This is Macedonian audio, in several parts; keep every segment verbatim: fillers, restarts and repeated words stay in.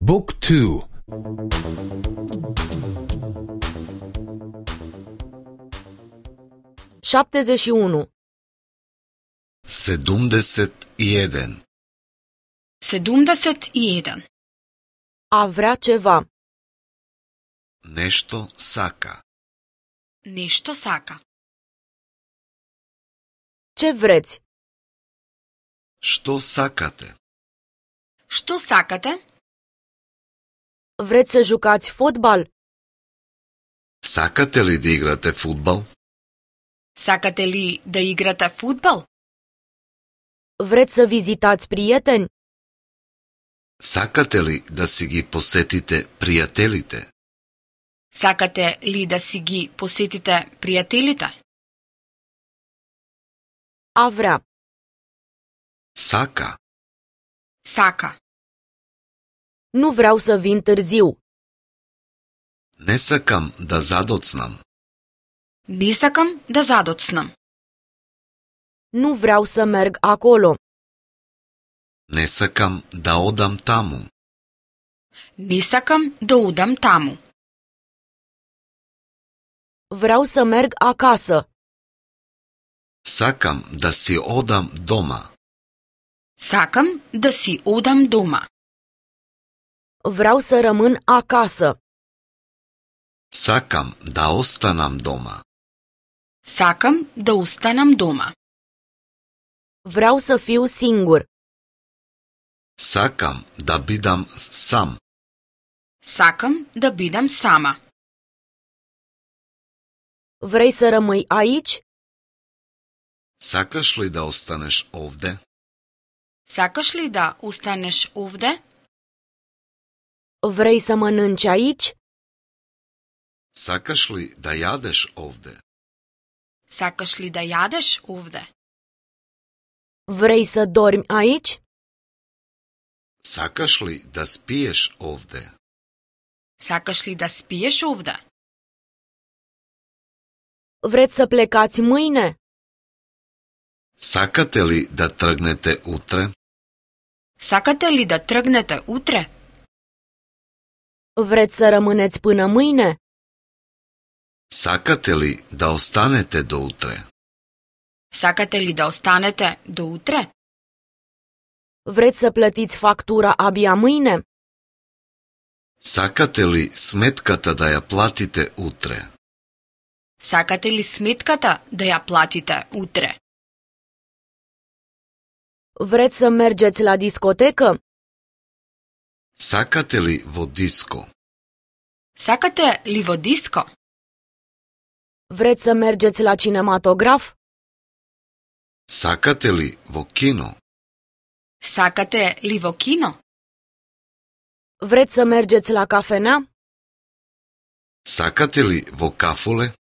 Book two. șaptezeci și unu. Sedumdeset i jedan. Sedumdeset i jedan. A vrea ceva. Нешто сака. Нешто сака. Ce vreți? Што сакате? Што сакате? Vreți să jucați fotbal? Сакате ли да играте фудбал? Сакате ли да играте фудбал? Vreți să vizitați prieteni? Сакате ли да си ги посетите пријателите? Сакате ли да си ги посетите пријателите? A vrea. Сака. Сака. Nu vreau să vin târziu. Не сакам да задоцнам. Не сакам да задоцнам. Nu vreau să merg acolo. Не сакам да одам таму. Не сакам да одам таму. Vreau să merg acasă. Сакам да си одам дома. Сакам да си одам дома. Vreau să rămân acasă. Сакам да останам дома. Сакам да останам дома. Vreau să fiu singur. Сакам да бидам сам. Сакам да бидам сама. Vrei să rămâi aici? Сакаш ли да останеш овде? Сакаш ли да останеш овде? Vrei să mănânci aici? Сакаш ли да јадеш овде? Сакаш ли да јадеш овде? Vrei să dormi aici? Сакаш ли да спиеш овде? Сакаш ли да спиеш овде? Vreți să plecați mâine? Сакате ли да тргнете утре? Сакате ли да тргнете утре? Vreți să rămâneți până mâine? Сакате ли да останете до утре? Сакате ли да останете до утре? Vreți să plătiți factura abia mâine? Сакате ли сметката да ја платите утре? Сакате ли сметката да ја платите утре? Vreți să mergeți la discotecă? Сакате ли во диско? Сакате ли во диско? Vreți să mergeți la cinematograf? Сакате ли во кино? Сакате ли во кино? Vreți să mergeți la cafenea? Сакате ли во кафуле?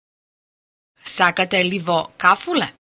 Сакате ли во кафуле?